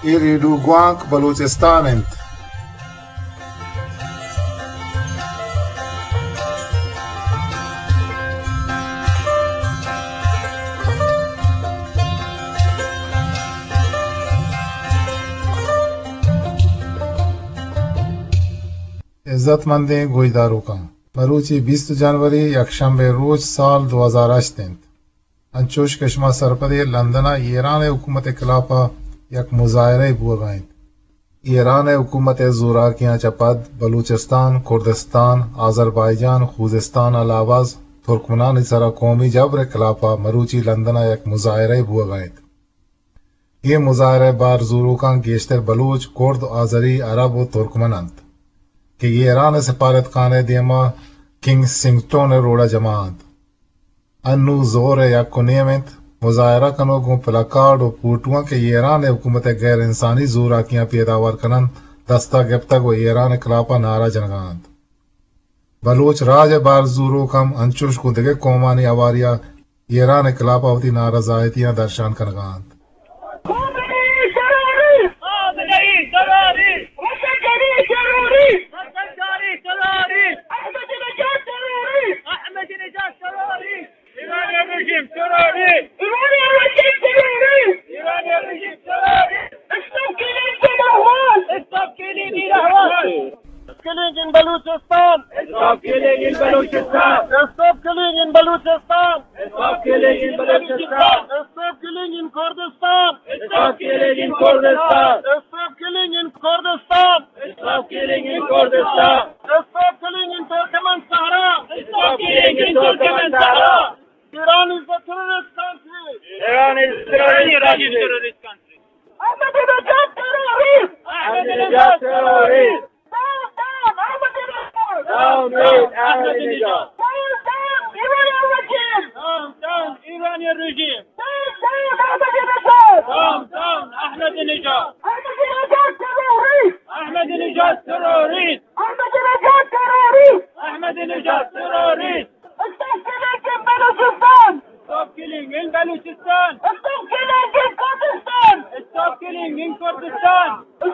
اے ریڈیو گوانک بلوچستان انت۔ عزت مندیں گوشداروکاں، مروچی بیست جنوری، یکشنبے روچ، سال دو ہزار ہشت انت۔ انچوش کہ شما سرپد ئے، لندن ءَ ایران ءِ حکومت ءِ خلاف ءَ یک مظاہرہ بوگ ءَ انت۔ ایران ءِ حکومت ءِ زوراکیاں چہ پد بلوچستان، کردستان، آذربائیجان، خوزستان، الاواز، ترکمنانی سرا قومی جبر ءِ خلاف ءَ مروچی لندن ءَ یک مظاہرہ بوگ ءَ انت۔ اے مظاہرہ ءِ بار زوروکاں گیشتر بلوچ، کرد، آذری، عرب ءُ ترکمن انت کہ ایران ءِ سفارتخانہ ءِ دیما کنگسنگٹن ءِ روڈ ءَ جمع انت۔ انوں زہر ءِ یک ءُ نیم انت۔ مظاہرہ کنوک گوں پلاکارڈ ءُ پوٹواں کہ ایران ءِ حکومت ءِ غیر انسانی زوراکیاں پیداوار کن انت، دست ءَ گپتگ ءُ ایران ءِ خلاف ءَ نعرہ جنگ ءَ انت۔ بلوچ راج ءِ بار زوروک ہم انچوش گوں دگہ قومانی ہواری ءَ ایران ءِ خلاف ءَ وتی نارضایتیاں درشان کنگ ءَ انت۔ ایرانی رژیم تروریست! ایرانی رژیم تروریست! ایرانی رژیم تروریست! ایرانی رژیم تروریست! Stop killing in Ahwaz! Stop killing in Ahwaz! Stop killing in Balochistan! Stop killing in Balochistan! Stop killing in Balochistan! Stop killing in Balochistan! Stop killing in Kurdistan! Stop killing in Kurdistan! Stop killing in Kurdistan! Stop killing in Kurdistan! Stop killing in Turkmen Sahara! Stop killing in Turkmen Sahara! Iran is a terrorist country! Iran is a terrorist country! Ahmadinejad terrorist! Ahmadinejad terrorist! Down, down, Ahmadinejad! Down, down, Ahmadinejad! Down, down, Iranian regime! Down, down, Iranian regime! Down, down, Ahmadinejad! Down, down, Ahmadinejad! Ahmadinejad terrorist! Ahmadinejad terrorist! Ahmadinejad terrorist! Ahmadinejad terrorist! Stop killing in Balochistan! Stop killing in Balochistan! Stop killing in Kurdistan! Stop killing in Kurdistan!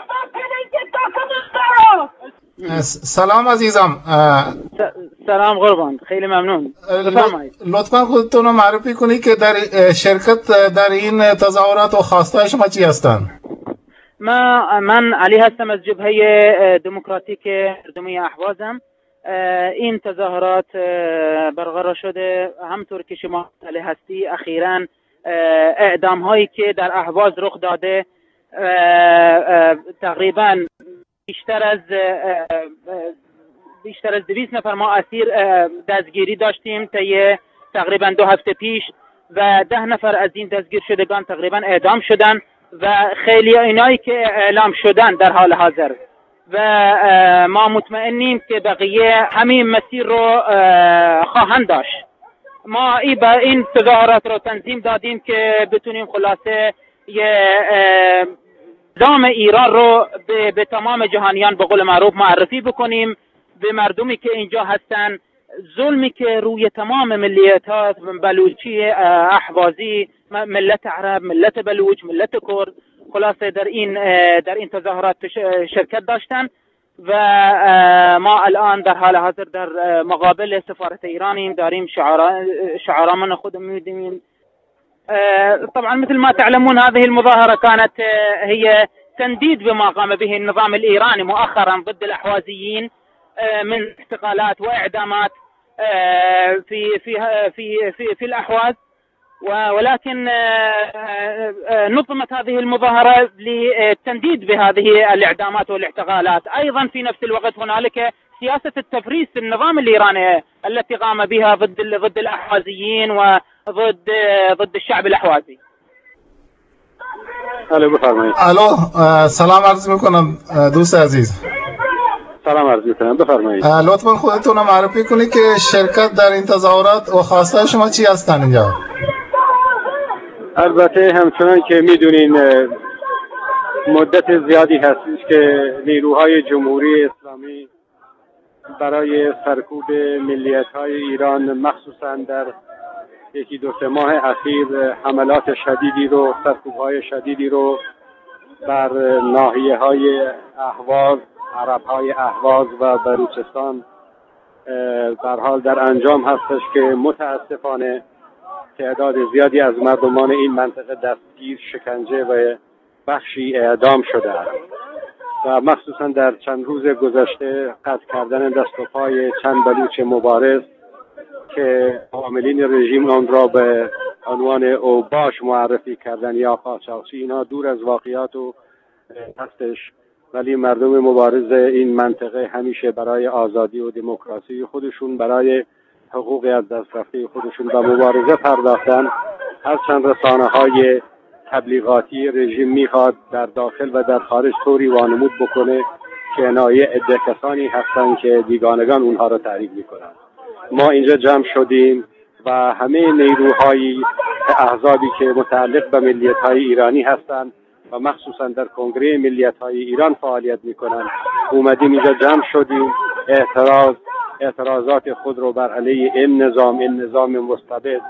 Stop killing in Turkmenistan! س-، سلام عزیزم. اه، س-، سلام قربان، خیلی ممنون. اه، بفرمایید. لط-، لطفاً خودتون رو معرفی کنید که در، اه، شرکت در این تظاهرات و خواسته‌های شما چی هستند؟ ما، من علی هستم، از جبههٔ، اه، دموکراتیک مردمی اهوازم. اه، این تظاهرات، اه، برقرار شده، همطور که شما مطلع هستی، اخیراً، اه، اعدام‌هایی که در اهواز رخ داده، اه، اه، تقریباً بیشتر از، اه، اه، بیشتر از دویست نفر ما اسیر، اه، دستگیری داشتیم طی تقریباً دو هفته پیش و ده نفر از این دستگیر شدگان تقریباً اعدام شدن و خیلی اینایی که اعلام شدن در حال حاضر و، اه، ما مطمئنیم که بقیه همین مسیر رو، اه، خواهند داشت. ما ای با این تظاهرات رو تنظیم دادیم که بتونیم خلاصه یه، اه، دام ایران رو به، به تمام جهانیان به قول معروف معرفی بکنیم، به مردمی که اینجا هستن، ظلمی که روی تمام ملیت‌ها، بلوچی، اه، احوازی، م-، ملت عرب، ملت بلوچ، ملت کرد، خلاصه در این، اه، در این تظاهرات ش-، شرکت داشتن و، اه، ما الان در حال حاضر در، اه، مقابل سفارت ایرانیم، داریم شعارا-، شعارامون خود می‌دیم. آه، طبعاً مثل ما تعلمون هذه المظاهرة كانت، آه، هي تنديد بما قام به النظام الإيراني مؤخراً ضد الأحوازيين، آه، من اعتقالات وإعدامات، آه، في، في، في، في، في الأحواز. و-، ولكن، آه، آه، آه، نظمت هذه المظاهرة للتنديد بهذه الإعدامات والاعتقالات. أيضاً في نفس الوقت هنالك سياسة التفريس النظام الإيراني التي قام بها ضد ال-، ضد الأحوازيين وضد، ضد الشعب الأحوازي. الو، بفرمایید. الو، اه، سلام عرض می‌کنم، اه، دوست عزیز. سلام عرض می‌کنم، بفرمایید. اه، لطفاً خودتون رو معرفی کنید که شرکت در این تظاهرات و خواسته‌های شما چی هستن اینجا؟ البته همچنان که می‌دونین، اه، مدت زیادی هستش که نیروهای جمهوری اسلامی برای سرکوب ملیت‌های ایران، مخصوصاً در یکی دو سه ماه اخیر، حملات شدیدی رو، سرکوب‌های شدیدی رو بر ناحیه‌های اهواز، عرب‌های اهواز و بلوچستان، اه، به هر حال در انجام هستش که متاسفانه تعداد زیادی از مردمان این منطقه دستگیر، شکنجه و بخشی اعدام شده است و مخصوصاً در چند روز گذشته قطع کردن دست و پای چند بلوچ مبارز که عاملین رژیم آن را به عنوان اوباش معرفی کردن یا قاچاقچی، اینا دور از واقعیات و هستش، ولی مردم مبارز این منطقه همیشه برای آزادی و دموکراسی خودشون، برای حقوق از دست رفته خودشون به مبارزه پرداختن. هرچند رسانه‌های تبلیغاتی رژیم می‌خواد در داخل و در خارج طوری وانمود بکنه که اینا یه عده کسانی هستن که بیگانگان اونها رو تعریف می‌کنن. ما اینجا جمع شدیم و همهٔ نیروهای احزابی که متعلق به ملیت‌های ایرانی هستند و مخصوصاً در کنگره ملیت‌های ایران فعالیت می‌کنند، اومدیم اینجا جمع شدیم، اعتراض، اعتراضات خود رو بر علیه این نظام، این نظام مستبد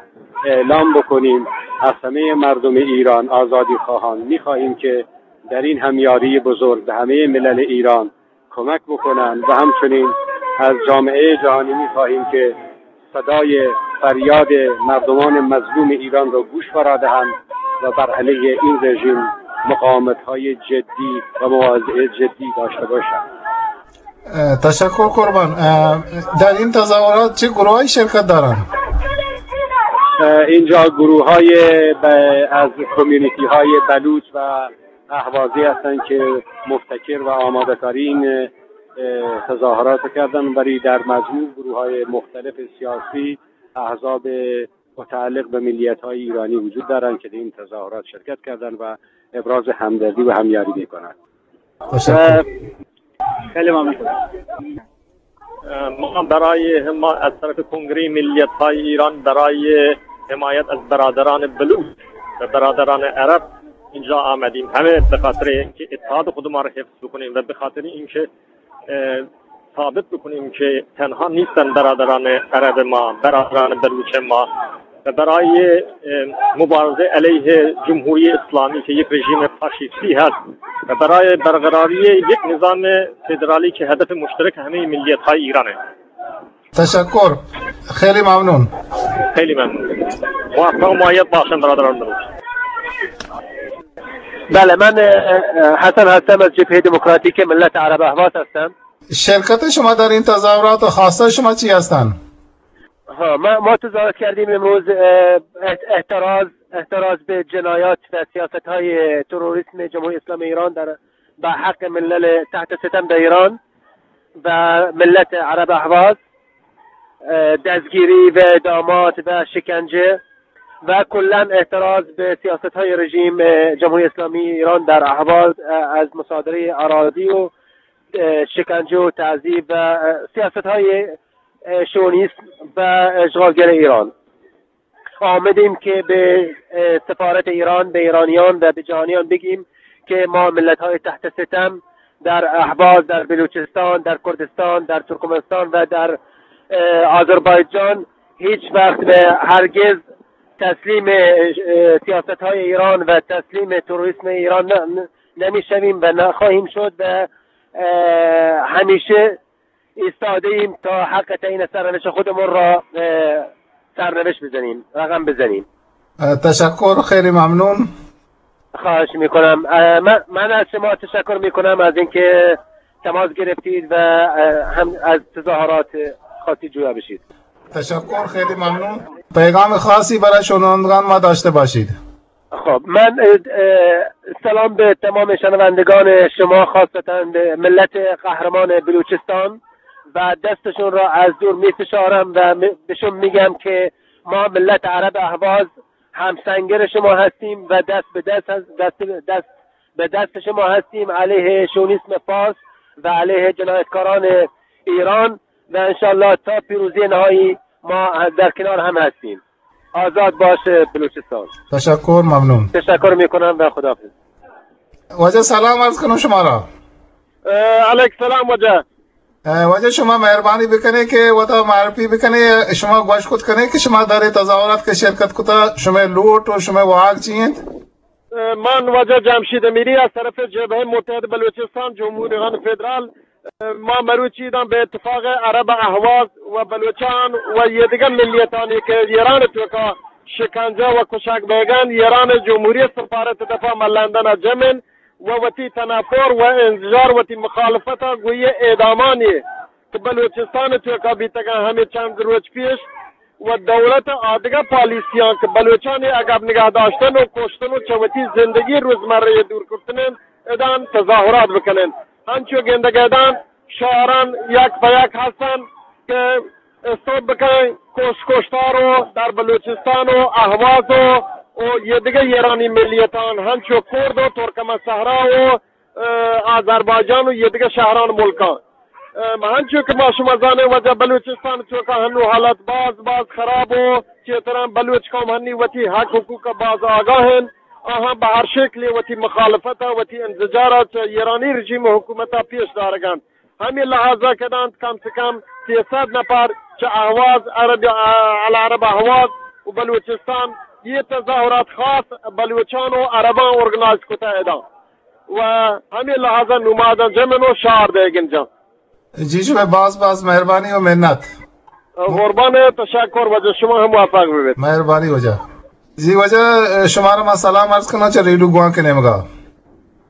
اعلام بکنیم. از همهٔ مردم ایران، آزادی خواهان، می‌خواهیم که در این همیاری بزرگ به همهٔ ملل ایران کمک بکنند و همچنین از جامعهٔ جهانی می‌خواهیم که صدای فریاد مردمان مظلوم ایران را گوش فرا دهند و بر علیه این رژیم مقاومت‌های جدی و مواضع جدی داشته باشند. اه، تشکر قربان. اه، در این تظاهرات چه گروهایی شرکت دارند؟ اه، اینجا گروه‌های ب-، از کمیونیتی‌های بلوچ و اهوازی هستند که مبتکر و آماده‌کاری این، اه، تظاهرات کردن، ولی در مجموع گروه‌های مختلف سیاسی، احزاب متعلق به ملیت‌های ایرانی وجود دارند که در این تظاهرات شرکت کردند و ابراز همدردی و همیاری می‌کنند. تشکر. خیلی ممنون. ما برای حما-، از طرف کنگره ملیت‌های ایران برای حمایت از برادران بلوچ و برادران عرب اینجا آمدیم، همه به خاطر اینکه اتحاد خود ما را حفظ بکنیم و به خاطر اینکه، اه، ثابت بکنیم که تنها نیستن برادران عرب ما، برادران بلوچ ما، و برای، اه، مبارزه علیه جمهوری اسلامی که یک رژیم فاشیستی هست و برای برقراری یک نظام فدرالی که هدف مشترک همهٔ ملیت‌های ایرانه. تشکر. خیلی ممنون. خیلی ممنون. موفق و مؤید باشن برادران بلوچ. بله، من، اه، اه، حسن هستم، از جبههٔ دموکراتیک ملت عرب اهواز هستم. شرکت شما در این تظاهرات و خواستهٔ شما چی هستند؟ ها، ما، ما تظاهرات کردیم امروز، اه، احت-، احتراز، احتراز به جنایات و سیاست‌های تروریسم جمهوری اسلامی ایران در، به حق ملل تحت ستم در ایران و ملت عرب اهواز، اه، دستگیری و اعدامات و شکنجه و کلاً اعتراض به سیاست‌های رژیم، اه، جمهوری اسلامی ایران در اهواز، اه، از مصادره اراضی و، اه، شکنجه و تعذیب و، اه، سیاست‌های، اه، شوونیسم و اشغالگر ایران. آمدیم که به، اه، سفارت ایران، به ایرانیان و به جهانیان بگیم که ما ملت‌های تحت ستم در اهواز، در بلوچستان، در کردستان، در ترکمنستان و در، اه، آذربایجان هیچ وقت و هرگز تسلیم، اه، سیاست‌های ایران و تسلیم تروریسم ایران ن-، ن-، نمی‌شویم و نخواهیم شد و، اه، همیشه ایستاده‌ایم تا حق تعیین سرنوشت خودمون را، اه، سرنوشت بزنیم، رقم بزنیم. اه، تشکر، خیلی ممنون. خواهش می‌کنم. اه، من، من از شما تشکر می‌کنم از اینکه تماس گرفتید و، اه، هم از تظاهرات خواستید جویا بشید. تشکر، خیلی ممنون. پیغام خاصی برای شنوندگان ما داشته باشید؟ خب، من، اه، اه، سلام به تمام شنوندگان شما، خاصتاً به ملت قهرمان بلوچستان و دستشون را از دور می‌فشارم و می-، بهشون می‌گم که ما ملت عرب اهواز همسنگر شما هستیم و دست به دست هست-، دست، دست به دست شما هستیم علیه شونیسم فارس و علیه جنایتکاران ایران و انشالله تا پیروزی نهایی ما در کنار هم هستیم. آزاد باشه بلوچستان. تشکر، ممنون. تشکر می‌کنم و خداحافظ. واجه سلام عرض کنم شما را. اه، علیک سلام واجه. اه، واجه شما مهربانی بکنه که وتا معرفی بکنه، شما گوش کت کنه که شما در تظاهرات که شرکت کتا، شما لوٹ و شما واگ چی انت؟ من واجہ جمشید امیری از طرف جبههٔ متحد بلوچستان جمهوریان فدرال، ما مروچی دان به اتفاق عرب اهواز و بلوچان و یه دیگه ملیتانی که ایران توکا شکنجه و کشک بیگن، ایران جمهوری سفارت دفا ما لندن جمن و وتی تنفر و انزجار، وتی مخالفت گوی اعدامانی که بلوچستان توکا بیتگن همه چند روچ پیش و دولت آدگہ پالیسیاں کہ بلوچانی عقب نگہ داشتن و کشتن و چہ وتی زندگی روزمرہ دور کرتنن ادان تظاہرات بکنن۔ ہنچو گندگ ادان شہران یک پہ یک ہستن کہ استوب بکنن کش کشتار و در بلوچستان و اہواز و، و یہ دگہ ایرانی ملیتان ہنچو کرد و ترکمن صحرا و آذربایجان و یہ دگہ شہران ملکاں۔ من ہنچو کہ ما شما زانیں واجہ بلوچستان چوکا ہنو حالت باز باز خراب و چیتران بلوچ قوم ہنی وتی حق حقوق باز آگاہ ہیں۔ آہاں بہ ہر شکل وتی مخالفت وتی انزجارا چہ ایرانی رژیم حکومتا پیش دارگان۔ ہمیں لحاظہ کدانت کم سے کم سیصد نفر چہ اہواز عرب، العرب اہواز و بلوچستان یہ تظاہرات خاص بلوچان و عربان ارگنائز کتا ادا۔ و ہمے لحاظا نمازاں جمن و شہر دئیگن جان۔ جی شمئے باز باز مہربانی و منت۔ قربان، تشکر واجہ، شما ہم موفق ببیت۔ مہربانی واجہ۔ جی واجہ، شمارا ما سلام عرض کناں چہ ریڈیو گوانک نیمگا۔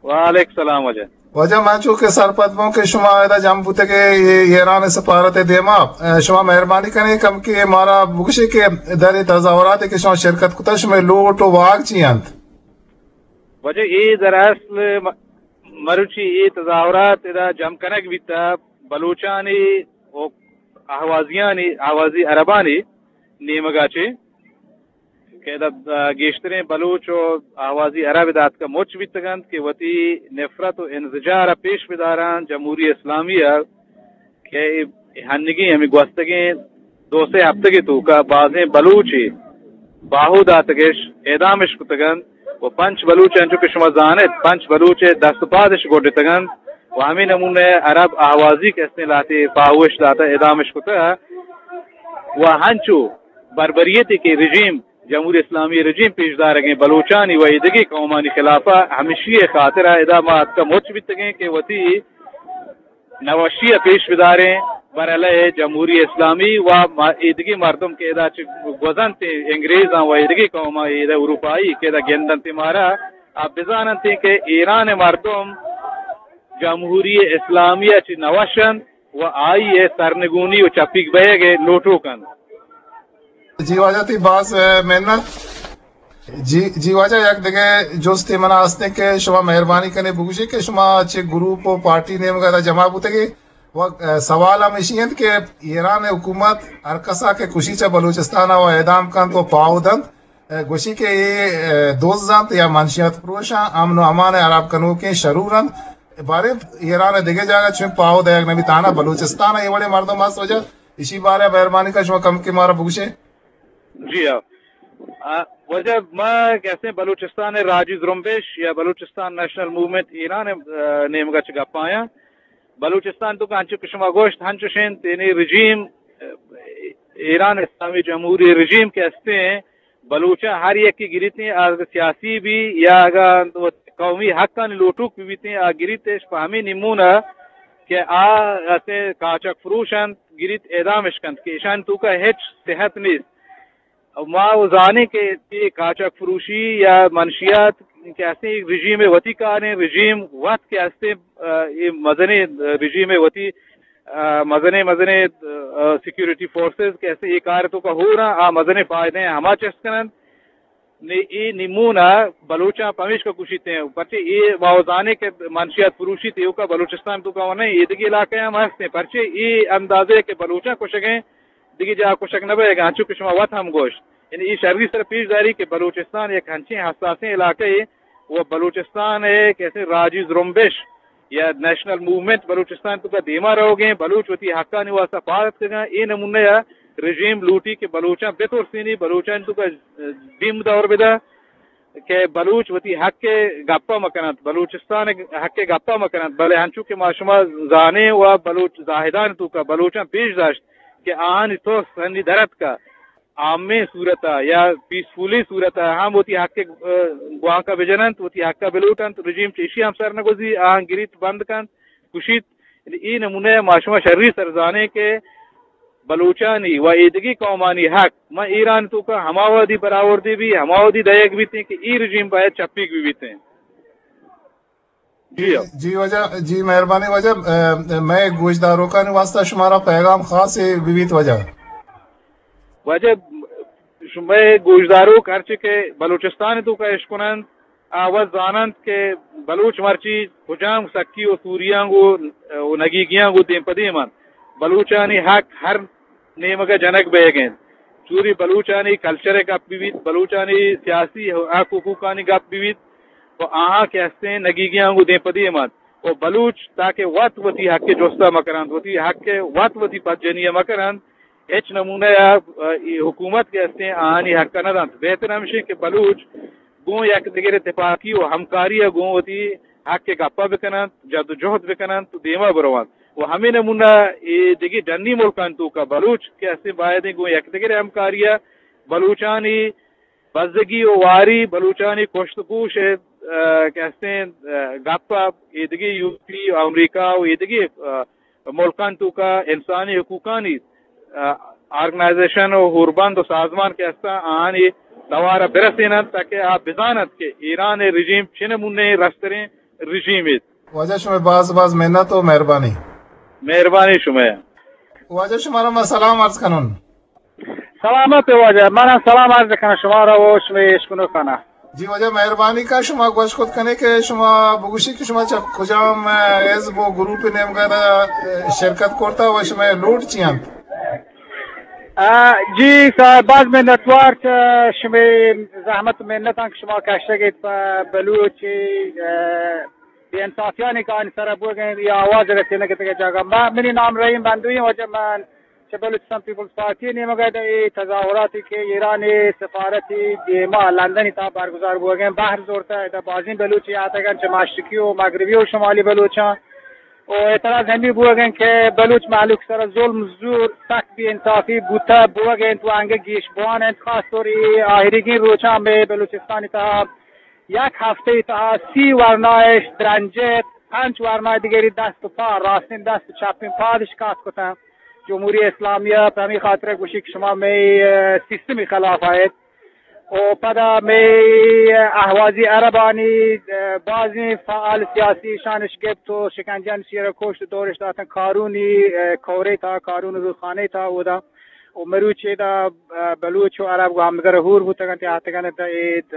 وعلیکم سلام واجہ۔ واجہ من چو کہ سرپد بوں کہ شما ادا جم بوتگے ایران سفارت دیما، شما مہربانی کنے کم کہ مارا بگشے کہ در اے تظاہرات کہ شما شرکت کتا شمئے لوٹ و واگ چی انت؟ واجہ، اے دراصل م-، مروچی اے تظاہرات ادا جم کنگ بیتا بلوچانی و اہوازیانی، اہوازی عربانی نیمگا چے کہ ادا، آ، گیشتریں بلوچ و اہوازی عرب ادا اتکا مچ بیتگنت کہ وتی نفرت و انزجار پیش بداران جمہوری اسلامی کہ اے ہنگیں ہمے گوستگیں دو سے ہفتگے توکا بازیں بلوچے باہو داتگش، اعدامش کتگنت و پنچ بلوچ انچو کہ شما زانت، پنچ بلوچ دست و پادش گڈتگنت و ہمے نمونہ عرب اہوازی کہ استیں لہتے پاہوش داتا اعدامش کتگ و ہنچو بربریتے کہ رژیم، جمہوری اسلامی رژیم پیش دارگیں بلوچانی و ایدگہ قومانی خلافا ہمشی خاطرا ادا ما اتکا مچ بیتگیں کہ وتی نوشی ء پیش بداریں بر علیہ جمہوری اسلامی و ما-، ایدگی مردم کہ ادا چہ گوزنت انگریزاں و ایدگی قوماں ادا اروپائی کہ ادا گندنت مارا آ بزاننت کہ ایران مردم جمہوری اسلامی ء چہ نوشنت و آئی ء سرنگونی و چپیگ بئیگ ء لوٹوک انت۔ جی واجہ تئی باز، اے، منت۔ جی، جی واجہ، یک دگہ جستے منا ہستیں کہ شما مہربانی کنے بگوشے کہ شما چہ گروپ و پارٹی نیمگا ادا جمع بوتگے و، اے، سوال ہم اشی انت کہ ایران حکومت ہر کسا کہ کشی چہ بلوچستان و اعدام کنت و پاہو دنت، اے، گوشی کہ اے، اے، دز انت یا منشیات فروش انت، امن و امان حراب کنوکیں شرور انت۔ باریں ایران دگہ جاگہ چون پاہو دئیگ نبی تانا بلوچستان اے وڑے مردم ہست واجہ، اشی بارے مہربانی کن شما کم کہ مارا بگوشے۔ جی ہاں۔ آ، واجہ ما کہتے ہیں بلوچستان راجی زرمبش یا بلوچستان نیشنل موومنٹ ایران، آ، نیمگا چہ گپ آیاں۔ بلوچستان تو انچو کہ شما گوشت ہنچوش انت، یعنی رژیم، آ، ایران اسلامی جمہوری رژیم کہ ہستیں، بلوچاں ہر یکے گریتیں، آ سیاسی بی یا اگاں قومی حقانی لوٹوک بی بیتیں، آ گریتش پہ ہمیں نمونہ کہ آ اسے کاچک فروش انت، گریت اعدامش کنت کہ اشان توکا ہچ صحت نیست۔ و ما و زانیں کہ اے کاچک فروشی یا منشیات کہ ہستیں، رژیم وتی کاریں، رژیم وت کہ ہستیں، آ، اے مزنیں رژیم وتی، آ، مزنیں، مزنیں، آ، سیکیورٹی فورسز کہ ہستیں، اے کار توکا ہور انت، آ مزنیں فائدہ ہما چست کننت۔ نے اے نمونہ بلوچاں پمیشکا کشیت انت، پرچے اے ما و زانیں کہ منشیات فروشی تیوکا بلوچستان توکا و نہ، ایدگہ علاقہ ہم ہستیں، پرچے اے اندازے کہ بلوچاں کشگیں، دگہ جاہ کشگ نہ بئیگ ء، انچو کہ شما وت ہم گوشت۔ یعنی اے شری سر پیش داری کہ بلوچستان یک ہنچیں حساسیں علاقہ ء و بلوچستان ء کسے راجی زرمبش یا نیشنل موومنٹ بلوچستان توکا دیما روگیں، بلوچ وتی حقانی واسطہ پاد اتکگاں، اے نمونہ ء رژیم لوٹی کہ بلوچاں بترسینی، بلوچانی توکا بیم دور بدا۔ کہ بلوچ وتی حق ء گپا مکننت، بلوچستان ء حق ء گپا مکننت، بلے انچو کہ ما شما زانیں و بلوچ زاہدان توکا بلوچاں پیش داشت کہ آہانی ترس ہنی در اتکا، عامیں صورت ءَ یا پیسفلی صورت ءَ ہم وتی حق ءِ، ءَ، گوانک ءَ بجننت، وتی حق ءَ بلوٹنت، رژیم چہ ایشی ہم سر نہ گوزی، آہاں گریت، بند کنت، کشیت۔ اے نمونہ ءَ ما شما شری سر زانیں کہ بلوچانی و ایدگی قومانی حق من ایران توکا ہما وہدی برآوردی بی، ہما وہدی دئیگ بیتیں کہ اے رژیم باید چپیگ بی بیتیں۔ جی، جی واجہ، جی مہربانی واجہ، ءَ، مئے گوشداروکانی واسطہ شمارا پیغام خاصے بہ بیت واجہ۔ واجہ، شمئے گوشداروک ہرچی کہ بلوچستان توکا اشکننت، آ وت زاننت کہ بلوچ مرچی کجام سکی و سوریاں گو و نگیگیاں گو دیم پہ دیم انت۔ بلوچانی حق ہر نیمگ ءَ جنگ بئیگ ءَ انت۔ چوری بلوچانی کلچر ءِ گپ بہ بیت، بلوچانی سیاسی حق حقوقانی گپ بہ بیت، و آہاں کہ ہستیں نگیگیاں گوں دیم پہ دیم انت۔ و بلوچ تاکہ وت وتی حق ءِ جست ءَ مہ کننت، وتی حق ءِ وت وتی پدجنی ءَ مہ کننت، ہچ نمونہ ءَ، ءَ، اے حکومت کہ ہستیں آہانی حق ءَ نہ دنت۔ بہتر ہمشیں کہ بلوچ گوں یک دگر ءَ تپاکی و ہمکاری ءَ گوں وتی حق ءِ گپ ءَ بکننت، جد و جہد بکننت و دیما برونت۔ و ہمے نمونہ اے دگہ ڈنی ملکانی توکا بلوچ کہ ہستیں بایدیں گوں یک دگر ءِ ہمکاری ءَ بلوچانی بزگی و واری، بلوچانی کشت و کوش ءِ، ءَ، کہ ہستیں، ءَ، گپ ءَ ایدگہ یورپی، امریکہ و ایدگہ، ءَ، ملکانی توکا انسانی حقوقانی، ءَ، آرگنائزیشن و ہوربند و سازمان کہ ہستاں آہانی توار ءَ برسیننت تاکہ آ بزاننت کہ ایران ءِ رژیم چہ نمونہ رستریں رژیمے۔ واجہ شمئے باز باز منت و مہربانی۔ مہربانی شمئے۔ واجہ شمارا ما سلام عرض کنن۔ سلامت واجہ، من ہم سلام عرض کنم شمارا و شمئے اشکنوکانا۔ جی واجہ مہربانی کا شما گوش کت کنے کہ شما بگوشی کہ شما چہ کجام، ءَ، حزب و گروپ نیمگا، ءَ، شرکت کرتا و شمئے لوٹ چی انت؟ ءَ، جی صاحب، باز منتوار چہ شمئے زحمت و منتاں کہ شما کشتگ ایت پہ بلوچ، ءَ، بے انصافیانی کہ آنی سرا بوگ ءَ انت، یا آواز رسینگ ءَ دگہ جاگہ۔ ما، منی نام رحیم بندوی، واجہ من چہ بلوچستان پیپلز پارٹی نیمگ ءَ ادا اے تظاہراتی کہ ایران ءِ سفارتی دیما لندنی تہا برگزار بوگ ءَ انت، بہر زورتا، ادا بازیں بلوچ آتگ انت چہ مشرقی و مغربی و شمالی بلوچاں۔ و اعتراض ہمے بوگ ءَ انت کہ بلوچ مہلوک سرا ظلم، زور، سک بے انصافی بوتا بوگ ءَ انت و انگہ گیش بوان انت۔ خاص طور اے آہریگیں روچاں مئے بلوچستانی تہا یک ہفتہ ءِ تہا سی ورنایش درنجت، پنچ ورنای دگری دست و پا، راستین دست و چپین پادش کات کتن۔ جمہوری اسلامی ءَ پہ ہمے خاطر ءَ گوشی کہ شما مئے، ءَ، سیستم ءِ خلاف آیت۔ و پدا مئے اہوازی عربانی، ءَ، بازیں فعال سیاسی شانش گپت و شکنجہ انت، شیر کشت و دورش داتن کارونی، ءَ، کورے تا، کارون روخانے تا اودا۔ و مروچی دا، ءَ، بلوچ و عرب گوں ہمدگر ہور بوتگ انت، آتگ انت اے، ءَ،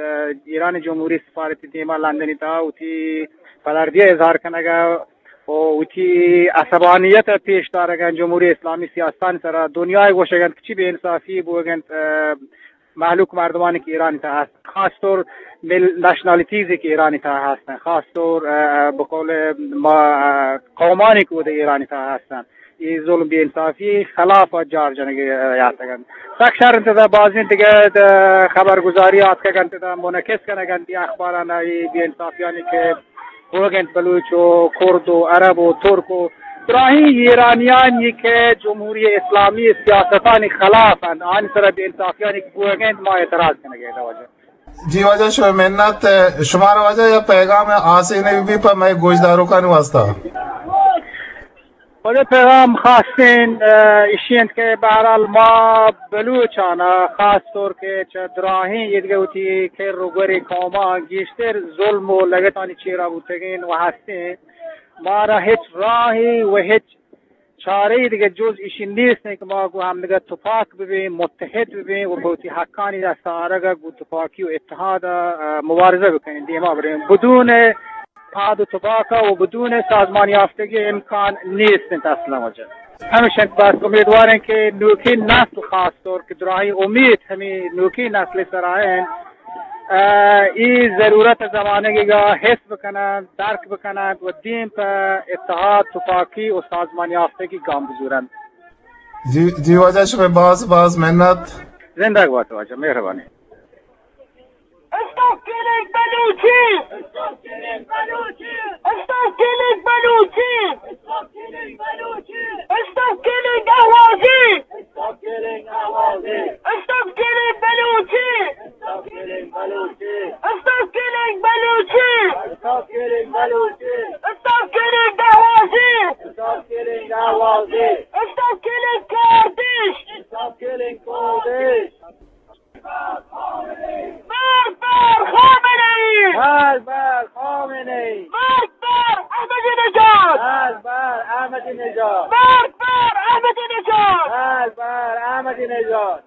ایران جمہوری سفارتی دیما لندنی تا وتی پدردی اظہار کنگا و وتی عصبانیت پیش دارگ انت جمہوری اسلامی سیاستانی سرا۔ دنیا گوشگ انت کہ چی بے انصافی بوگ انت، ءَ، مہلوک مردمانی کہ ایرانی تہا ہست، خاص طور مل-، نیشنالٹیز کہ ایرانی تہا ہستن، خاص طور، ءَ، بقول ما، ءَ، قومانی کہ اود ایرانی تہا ہستن، اے ظلم بے انصافی خلاف جار جنگ یاتگ انت۔ سک شر انت، دا بازیں دگہ دا خبرگزاری آتکگ انت، دا منعکس کنگ انت اخباران اے بے انصافیانی کہ بوگ انت بلوچ و کرد و عرب و ترک و براہیں ایرانیانی کہ جمہوری اسلامی سیاستانی خلاف انت، آنی سرا بے انصافیانی کہ بوگ انت، ما اعتراض کنگ ءَ ایں واجہ۔ جی واجہ، شمئے منت، شمارا واجہ یا پیغام آسے نہ بی پہ مئے گوشداروکانی واسطہ؟ واجہ پیغام خاصیں، ءَ، ایشی انت کہ بہرحال ما بلوچانا خاص طور کہ چہ دراہیں ایدگہ وتی کر و گورے قوماں گیشتر ظلم و لگتانی چیرا بوتگیں و ہستیں، مارا ہچ راہے و ہچ چارہ ای دگہ جز ایشی نیست کہ ما گوں ہمدگہ تپاک ببیں، متحد ببیں و بہ وتی حقانی دست آرگ ءَ گوں تپاکی و اتحاد ءَ، ءَ، مبارزہ بکنیں، دیما بریں۔ بدون اتحاد و تپاک ءَ و بدون سازمان یافتگی امکان نیست انت اصلاً واجہ۔ ہمیش انت بس امیدوار انت کہ نوکیں نسل خاص طور کہ دراہیں امید ہمے نوکیں نسل سرا انت، ءَ، ای ضرورت زمانگی گا حس بکنن، درک بکنن و دیم پہ اتحاد، تپاکی و سازمان یافتگی گام بزورن۔ جی، جی واجہ، شمئے باز باز منت۔ زندگ بات واجہ، مہربانی۔ بلوچی! Stop killing بلوچی! Stop killing احوازی! Stop killing احوازی! Stop killing بلوچی! Stop killing بلوچی! Stop killing بلوچی! Stop killing بلوچی! Stop killing احوازی! Stop killing احوازی! Stop killing Kurdish! Stop killing Kurdish! بار بار خامنه ای! بار بار خامنه ای! بار بار احمدی نژاد! بار بار احمدی نژاد! بار بار احمدی نژاد! بار بار احمدی نژاد!